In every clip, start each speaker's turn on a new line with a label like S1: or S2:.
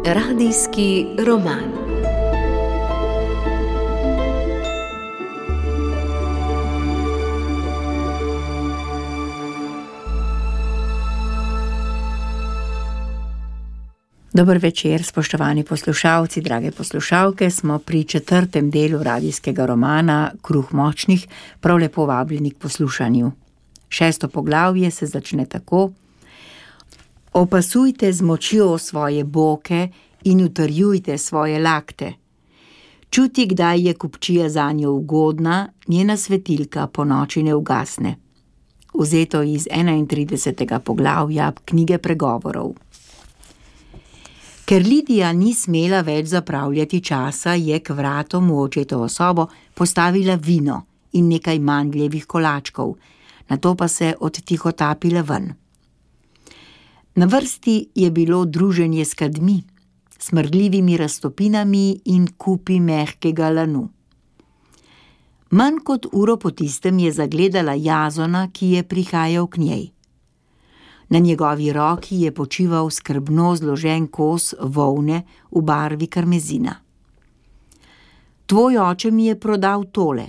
S1: Radijski roman. Dober večer, spoštovani poslušalci, drage poslušalke. Smo pri 4. delu radijskega romana Kruh močnih, prav lepo vabljeni k poslušanju. 6. poglavje se začne tako: Opasujte z močjo svoje boke in utrjujte svoje lakte. Čuti, kdaj je kupčija zanjo ugodna, njena svetilka po noči ne ugasne. Vzeto iz 31. poglavja knjige Pregovorov. Ker Lidija ni smela več zapravljati časa, je k vratom v očetovo sobo postavila vino in nekaj mandljevih kolačkov, nato pa se odtihotapila ven. Na vrsti je bilo druženje s kadmi, smrdljivimi raztopinami in kupi mehkega lanu. Manj kot uro po tistem je zagledala Jazona, ki je prihajal k njej. Na njegovi roki je počival skrbno zložen kos volne v barvi karmezina. Tvoj oče mi je prodal tole.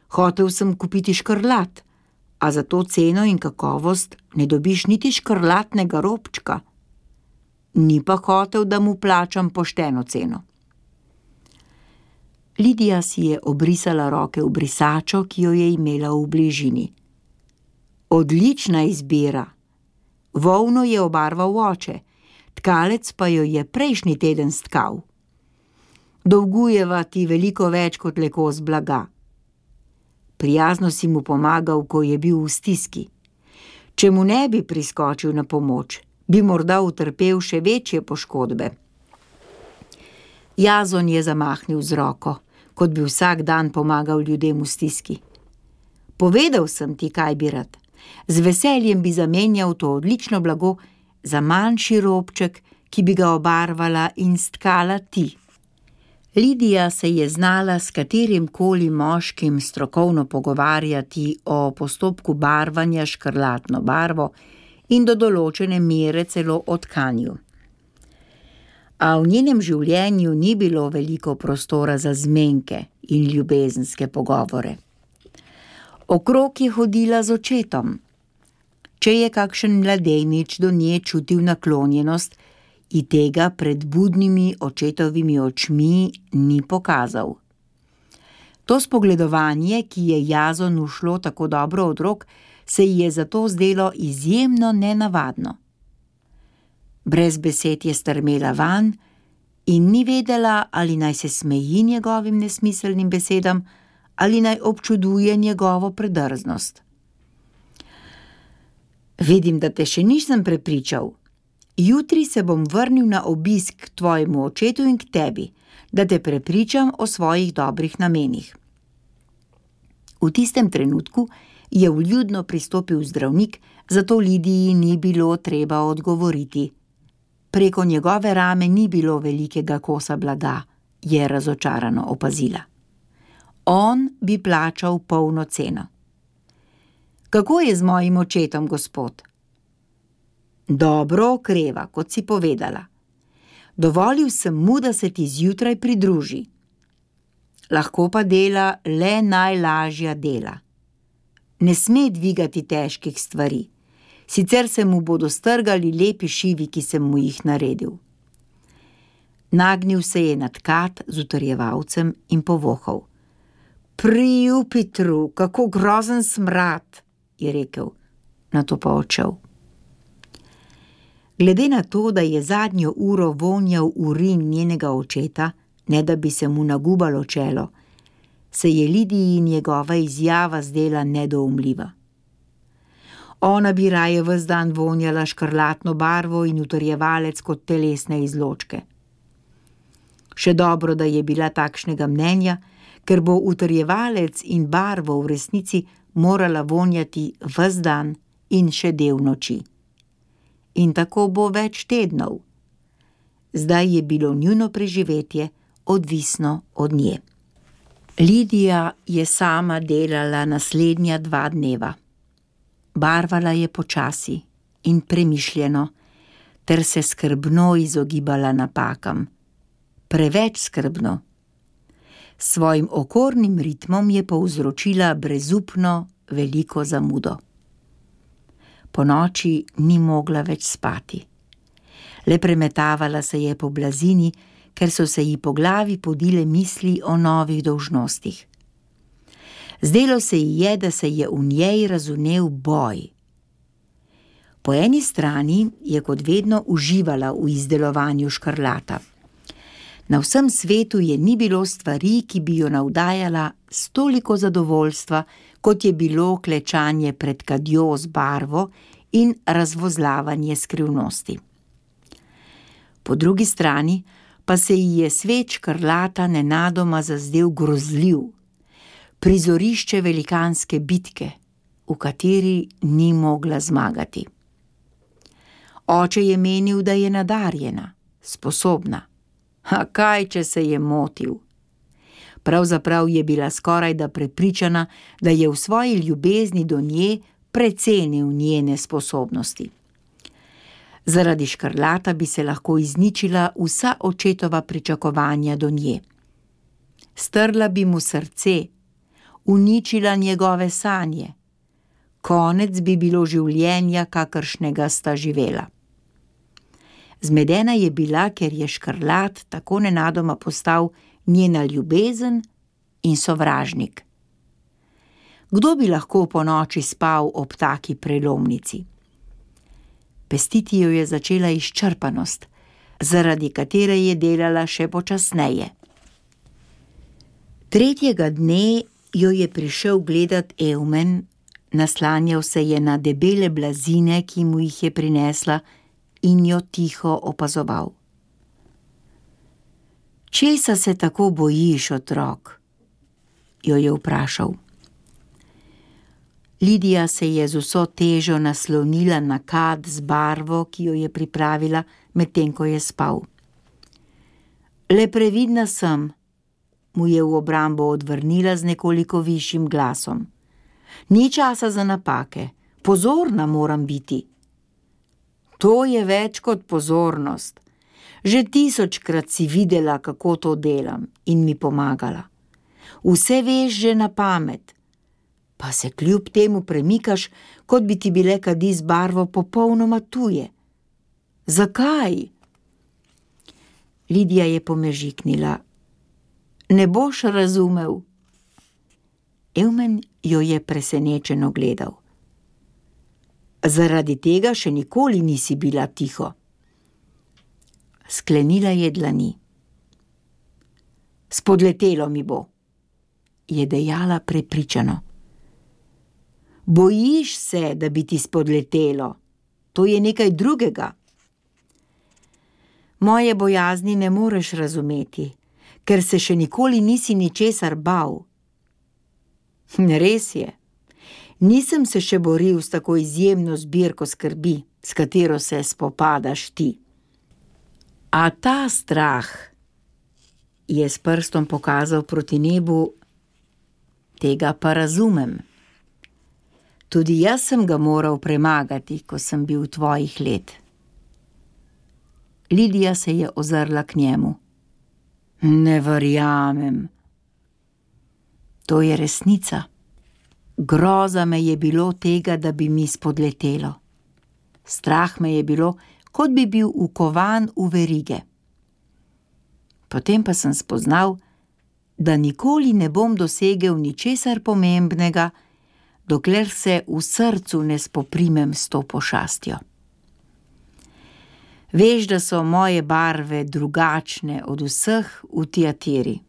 S1: Hotel sem kupiti škrlat, a za to ceno in kakovost ne dobiš niti škrlatnega robčka. Ni pa hotel, da mu plačam pošteno ceno. Lidija si je obrisala roke v brisačo, ki jo je imela v bližini. Odlična izbira! Volno je obarval oče, tkalec pa jo je prejšnji teden stkal. Dolgujeva ti veliko več kot le kos blaga. Prijazno si mu pomagal, ko je bil v stiski. Če mu ne bi priskočil na pomoč, bi morda utrpel še večje poškodbe. Jazon je zamahnil z roko, kot bi vsak dan pomagal ljudem v stiski. Povedal sem ti, kaj bi rad. Z veseljem bi zamenjal to odlično blago za manjši robček, ki bi ga obarvala in stkala ti. Lidija se je znala s katerimkoli moškim strokovno pogovarjati o postopku barvanja škrlatno barvo in do določene mere celo o tkanju. A v njenem življenju ni bilo veliko prostora za zmenke in ljubezenske pogovore. Okrog je hodila z očetom. Če je kakšen mladenič do nje čutil naklonjenost, in tega pred budnimi očetovimi očmi ni pokazal. To spogledovanje, ki je Jazonu šlo tako dobro od rok, se ji je zato zdelo izjemno nenavadno. Brez besed je strmela vanj in ni vedela, ali naj se smeji njegovim nesmiselnim besedam ali naj občuduje njegovo predrznost. Vidim, da te še nisem prepričal. Jutri se bom vrnil na obisk k tvojemu očetu in k tebi, da te prepričam o svojih dobrih namenih. V tistem trenutku je vljudno pristopil zdravnik, zato Lidiji ni bilo treba odgovoriti. Preko njegove rame ni bilo velikega kosa blaga, je razočarano opazila. On bi plačal polno ceno. Kako je z mojim očetom, gospod? Dobro okreva, kot si povedala. Dovolil sem mu, da se ti zjutraj pridruži. Lahko pa dela le najlažja dela. Ne sme dvigati težkih stvari, sicer se mu bodo strgali lepi šivi, ki sem mu jih naredil. Nagnil se je nad kat z utrjevalcem in povohal. Pri Jupitru, kako grozen smrad, je rekel, nato pa odšel. Glede na to, da je zadnjo uro vonjal urin njenega očeta, ne da bi se mu nagubalo čelo, se je Lidiji njegova izjava zdela nedoumljiva. Ona bi raje ves dan vonjala škrlatno barvo in utrjevalec kot telesne izločke. Še dobro, da je bila takšnega mnenja, ker bo utrjevalec in barvo v resnici morala vonjati ves dan in še del noči. In tako bo več tednov. Zdaj je bilo njuno preživetje odvisno od nje. Lidija je sama delala naslednja 2 dneva. Barvala je počasi in premišljeno, ter se skrbno izogibala napakam. Preveč skrbno. S svojim okornim ritmom je povzročila brezupno veliko zamudo. Ponoči ni mogla več spati. Le premetavala se je po blazini, ker so se ji po glavi podile misli o novih dolžnostih. Zdelo se ji je, da se je v njej razvnel boj. Po eni strani je kot vedno uživala v izdelovanju škrlata. Na vsem svetu je ni bilo stvari, ki bi jo navdajala s toliko zadovoljstva, kot je bilo klečanje pred kadjo z barvo in razvozlavanje skrivnosti. Po drugi strani pa se ji je svet škrlata nenadoma zazdel grozljiv, prizorišče velikanske bitke, v kateri ni mogla zmagati. Oče je menil, da je nadarjena, sposobna. A kaj, če se je motil? Pravzaprav je bila skorajda prepričana, da je v svoji ljubezni do nje precenil njene sposobnosti. Zaradi škrlata bi se lahko izničila vsa očetova pričakovanja do nje. Strla bi mu srce, uničila njegove sanje. Konec bi bilo življenja, kakršnega sta živela. Zmedena je bila, ker je škrlat tako nenadoma postal njena ljubezen in sovražnik. Kdo bi lahko ponoči spal ob taki prelomnici? Pestiti jo je začela izčrpanost, zaradi katere je delala še počasneje. Tretjega dne jo je prišel gledat Evmen, naslanjal se je na debele blazine, ki mu jih je prinesla, in jo tiho opazoval. Česa se tako bojiš, otrok? Jo je vprašal. Lidija se je z vso težo naslonila na kad z barvo, ki jo je pripravila, medtem ko je spal. Le previdna sem, mu je v obrambo odvrnila z nekoliko višjim glasom. Ni časa za napake, pozorna moram biti. To je več kot pozornost. Že 1000-krat si videla, kako to delam, in mi pomagala. Vse veš že na pamet, pa se kljub temu premikaš, kot bi ti bile kadi z barvo popolnoma tuje. Zakaj? Lidija je pomežiknila. Ne boš razumel. Evmen jo je presenečeno gledal. Zaradi tega še nikoli nisi bila tiho. Sklenila je dlani. Spodletelo mi bo, je dejala prepričano. Bojiš se, da bi ti spodletelo. To je nekaj drugega. Moje bojazni ne moreš razumeti, ker se še nikoli nisi ničesar bal. Res je. Nisem se še boril s tako izjemno zbirko skrbi, s katero se spopadaš ti. A ta strah, je s prstom pokazal proti nebu, tega pa razumem. Tudi jaz sem ga moral premagati, ko sem bil tvojih let. Lidija se je ozrla k njemu. Ne verjamem. To je resnica. Groza me je bilo tega, da bi mi spodletelo. Strah me je bilo, kot bi bil ukovan v verige. Potem pa sem spoznal, da nikoli ne bom dosegel ničesar pomembnega, dokler se v srcu ne spoprimem s to pošastjo. Veš, da so moje barve drugačne od vseh v Tiatiri.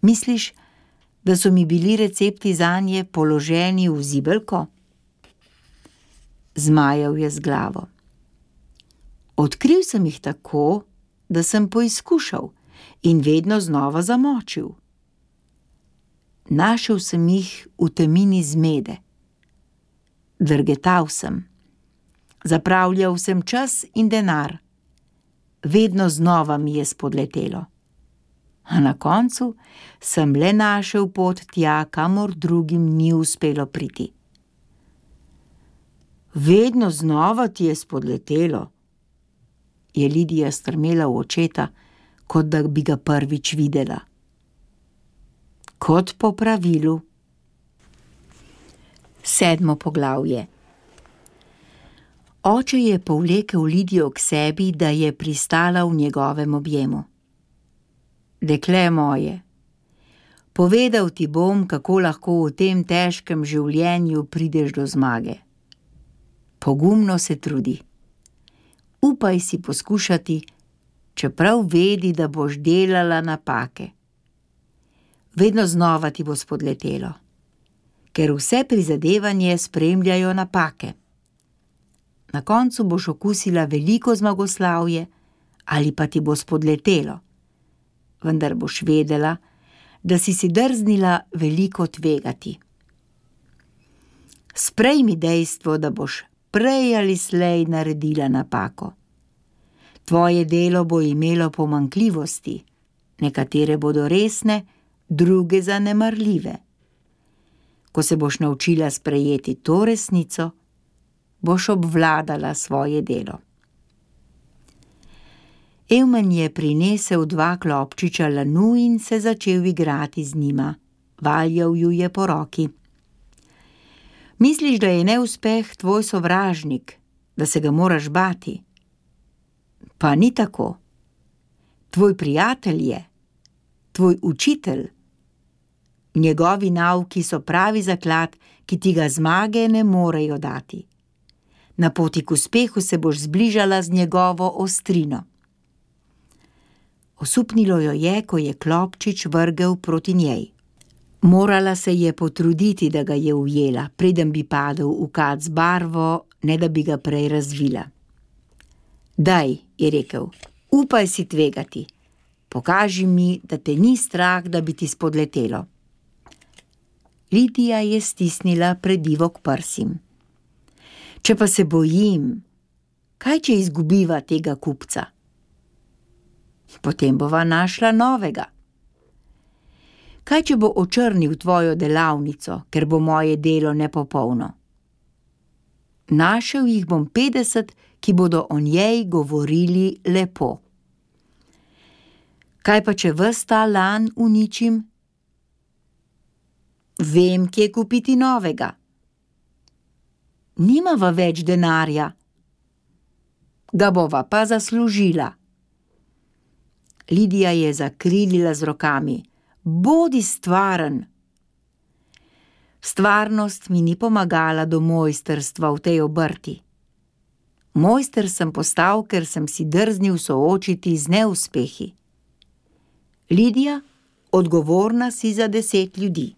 S1: Misliš, da so mi bili recepti zanje položeni v zibelko? Zmajal je z glavo. Odkril sem jih tako, da sem poizkušal in vedno znova zamočil. Našel sem jih v temini zmede. Drgetal sem. Zapravljal sem čas in denar. Vedno znova mi je spodletelo. A na koncu sem le našel pot tja, kamor drugim ni uspelo priti. Vedno znova ti je spodletelo, je Lidija strmela v očeta, kot da bi ga prvič videla. Kot po pravilu. 7. poglavje. Oče je povlekel Lidijo k sebi, da je pristala v njegovem objemu. Dekle moje, povedal ti bom, kako lahko v tem težkem življenju prideš do zmage. Pogumno se trudi. Upaj si poskušati, čeprav vedi, da boš delala napake. Vedno znova ti bo spodletelo, ker vse prizadevanje spremljajo napake. Na koncu boš okusila veliko zmagoslavje ali pa ti bo spodletelo, vendar boš vedela, da si drznila veliko tvegati. Sprejmi dejstvo, da boš prej ali slej naredila napako. Tvoje delo bo imelo pomanjkljivosti, nekatere bodo resne, druge zanemarljive. Ko se boš naučila sprejeti to resnico, boš obvladala svoje delo. Evmen je prinesel 2 klobčiča lanu in se začel igrati z njima. Valjal ju je po roki. Misliš, da je neuspeh tvoj sovražnik, da se ga moraš bati? Pa ni tako. Tvoj prijatelj je, tvoj učitelj. Njegovi nauki so pravi zaklad, ki ti ga zmage ne morejo dati. Na poti k uspehu se boš zbližala z njegovo ostrino. Osupnilo jo je, ko je klobčič vrgel proti njej. Morala se je potruditi, da ga je ujela, preden bi padel v kad z barvo, ne da bi ga prej razvila. Daj, je rekel, upaj si tvegati. Pokaži mi, da te ni strah, da bi ti spodletelo. Lidija je stisnila predivo k prsim. Če pa se bojim, kaj če izgubiva tega kupca? Potem bova našla novega. Kaj če bo očrnil tvojo delavnico, ker bo moje delo nepopolno? Našel jih bom 50, ki bodo o njej govorili lepo. Kaj pa če ves ta lan uničim? Vem, kje kupiti novega. Nimava več denarja. Ga bova pa zaslužila. Lidija je zakrilila z rokami. Bodi stvaren. Stvarnost mi ni pomagala do mojstrstva v tej obrti. Mojster sem postal, ker sem si drznil soočiti z neuspehi. Lidija, odgovorna si za 10 ljudi.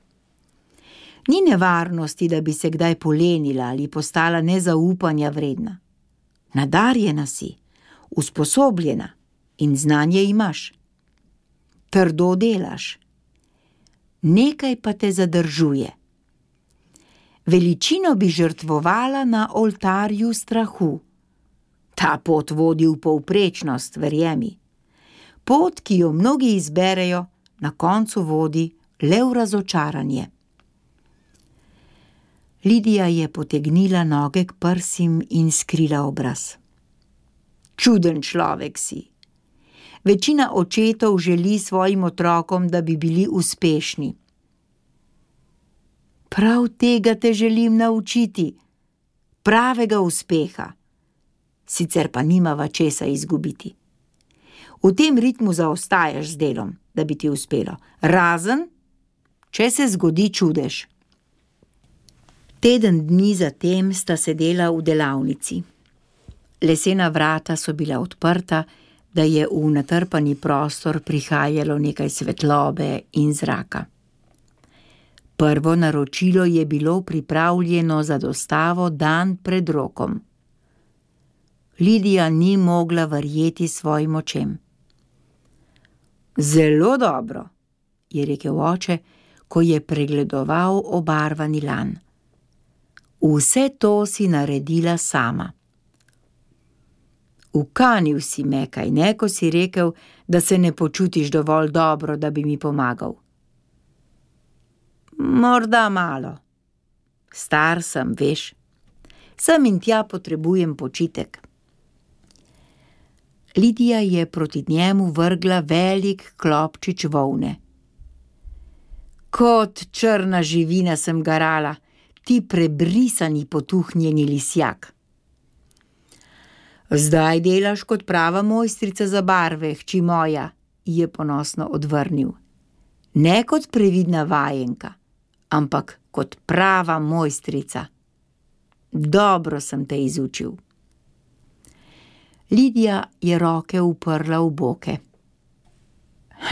S1: Ni nevarnosti, da bi se kdaj polenila ali postala nezaupanja vredna. Nadarjena si, usposobljena in znanje imaš. Trdo delaš. Nekaj pa te zadržuje. Veličino bi žrtvovala na oltarju strahu. Ta pot vodi v povprečnost, verjemi. Pot, ki jo mnogi izberejo, na koncu vodi le v razočaranje. Lidija je potegnila noge k prsim in skrila obraz. Čuden človek si. Večina očetov želi svojim otrokom, da bi bili uspešni. Prav tega te želim naučiti, pravega uspeha. Sicer pa nimava česa izgubiti. V tem ritmu zaostajaš z delom, da bi ti uspelo, razen, če se zgodi čudež. Teden dni zatem sta sedela v delavnici. Lesena vrata so bila odprta, da je v natrpani prostor prihajalo nekaj svetlobe in zraka. Prvo naročilo je bilo pripravljeno za dostavo dan pred rokom. Lidija ni mogla verjeti svojim očem. Zelo dobro, je rekel oče, ko je pregledoval obarvani lan. Vse to si naredila sama. Ukanil si me, kaj ne, ko si rekel, da se ne počutiš dovolj dobro, da bi mi pomagal. Morda malo. Star sem, veš. Sem in tja potrebujem počitek. Lidija je proti njemu vrgla velik klobčič volne. Kot črna živina sem garala, ti prebrisani potuhnjeni lisjak. Zdaj delaš kot prava mojstrica za barve, hči moja, je ponosno odvrnil. Ne kot previdna vajenka, ampak kot prava mojstrica. Dobro sem te izučil. Lidija je roke uprla v boke.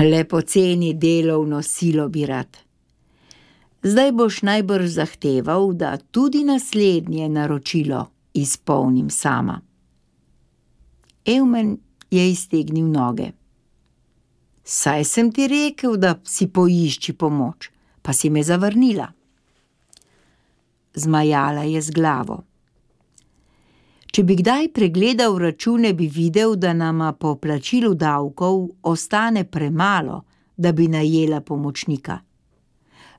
S1: Le poceni delovno silo bi rad. Zdaj boš najbrž zahteval, da tudi naslednje naročilo izpolnim sama. Eumen je iztegnil noge. Saj sem ti rekel, da si poišči pomoč, pa si me zavrnila. Zmajala je z glavo. Če bi kdaj pregledal račune, bi videl, da nama po plačilu davkov ostane premalo, da bi najela pomočnika.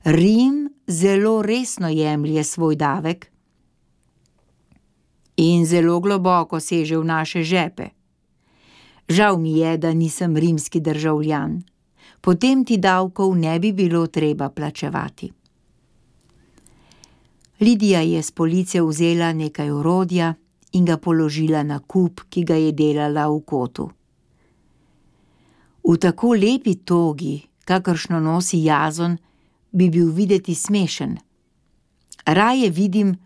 S1: Rim zelo resno jemlje svoj davek in zelo globoko seže v naše žepe. Žal mi je, da nisem rimski državljan. Potem ti davkov ne bi bilo treba plačevati. Lidija je s police vzela nekaj orodja in ga položila na kup, ki ga je delala v kotu. V tako lepi togi, kakršno nosi Jazon, bi bil videti smešen. Raje vidim,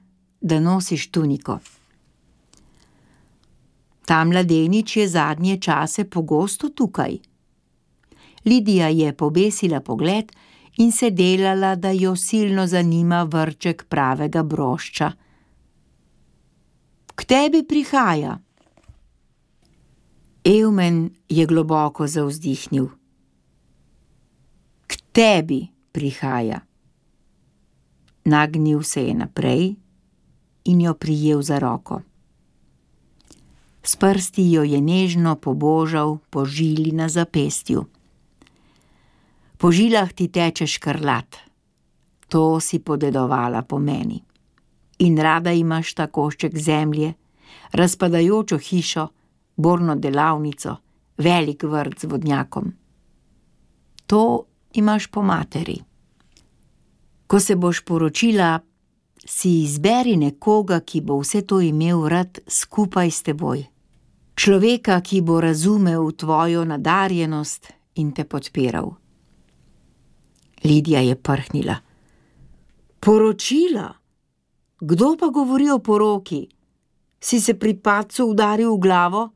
S1: da nosiš tuniko. Ta mladenič je zadnje čase pogosto tukaj. Lidija je pobesila pogled in se delala, da jo silno zanima vrček pravega brošča. K tebi prihaja. Eumen je globoko zavzdihnil. K tebi prihaja. Nagnil se je naprej in jo prijel za roko. S prsti jo je nežno pobožal po žili na zapestju. Po žilah ti teče škrlat. To si podedovala po meni. In rada imaš ta košček zemlje, razpadajočo hišo, borno delavnico, velik vrt z vodnjakom. To imaš po materi. Ko se boš poročila, si izberi nekoga, ki bo vse to imel rad skupaj s teboj. Človeka, ki bo razumel tvojo nadarjenost in te podpiral. Lidija je prhnila. Poročila? Kdo pa govori o poroki? Si se pri padcu udaril v glavo?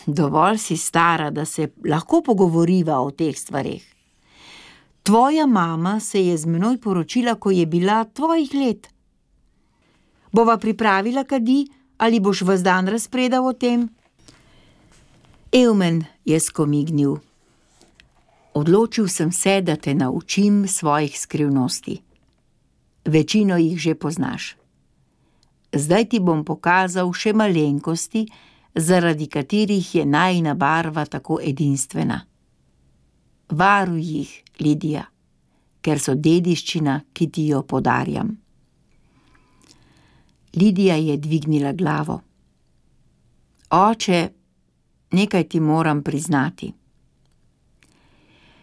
S1: Dovolj si stara, da se lahko pogovoriva o teh stvareh. Tvoja mama se je z menoj poročila, ko je bila tvojih let. Bova pripravila kadi, ali boš ves dan razpredal o tem? Eumen je skomignil. Odločil sem se, da te naučim svojih skrivnosti. Večino jih že poznaš. Zdaj ti bom pokazal še malenkosti, zaradi katerih je najina barva tako edinstvena. Varuj jih, Lidija, ker so dediščina, ki ti jo podarjam. Lidija je dvignila glavo. Oče, nekaj ti moram priznati.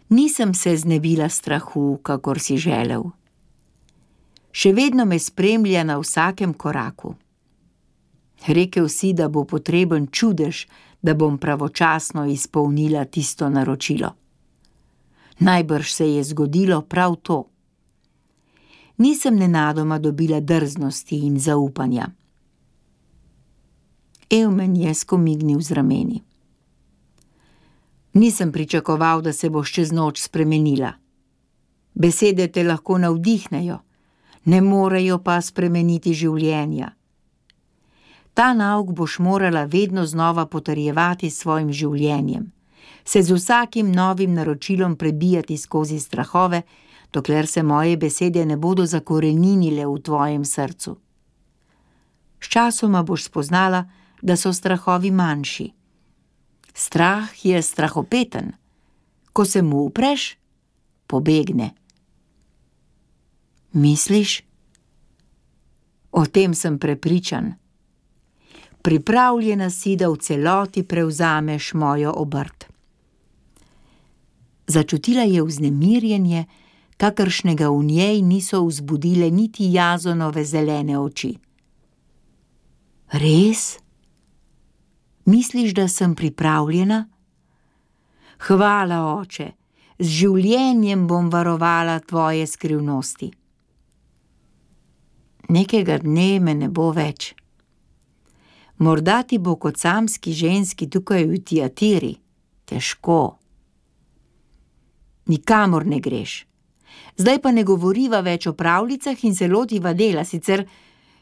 S1: Nisem se znebila strahu, kakor si želel. Še vedno me spremlja na vsakem koraku. Rekel si, da bo potreben čudež, da bom pravočasno izpolnila tisto naročilo. Najbrž se je zgodilo prav to. Nisem nenadoma dobila drznosti in zaupanja. Eumen je skomignil z rameni. Nisem pričakoval, da se boš čez noč spremenila. Besede te lahko navdihnejo, ne morejo pa spremeniti življenja. Ta nauk boš morala vedno znova potrjevati s svojim življenjem, se z vsakim novim naročilom prebijati skozi strahove, dokler se moje besede ne bodo zakoreninile v tvojem srcu. Sčasoma boš spoznala, da so strahovi manjši. Strah je strahopeten. Ko se mu upreš, pobegne. Misliš? O tem sem prepričan. Pripravljena si, da v celoti prevzameš mojo obrt. Začutila je vznemirjenje, kakršnega v njej niso vzbudile niti Jazonove zelene oči. Res? Misliš, da sem pripravljena? Hvala, oče, z življenjem bom varovala tvoje skrivnosti. Nekega dne me ne bo več. Morda ti bo kot samski ženski tukaj v Tiatiri težko. Nikamor ne greš. Zdaj pa ne govoriva več o pravljicah in se lotiva dela, sicer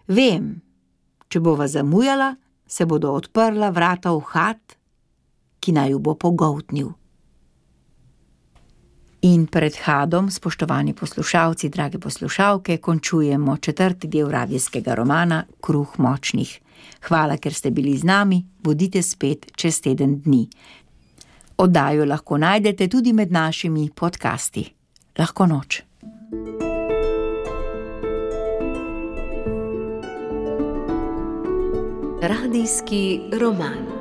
S1: vem, če bova zamujala, se bodo odprla vrata v had, ki naj ju bo pogoltnil. In pred hadom, spoštovani poslušalci, drage poslušalke, končujemo 4. del radijskega romana Kruh močnih. Hvala, ker ste bili z nami, bodite spet čez teden dni. Oddajo lahko najdete tudi med našimi podcasti. Lahko noč.
S2: Radijski roman.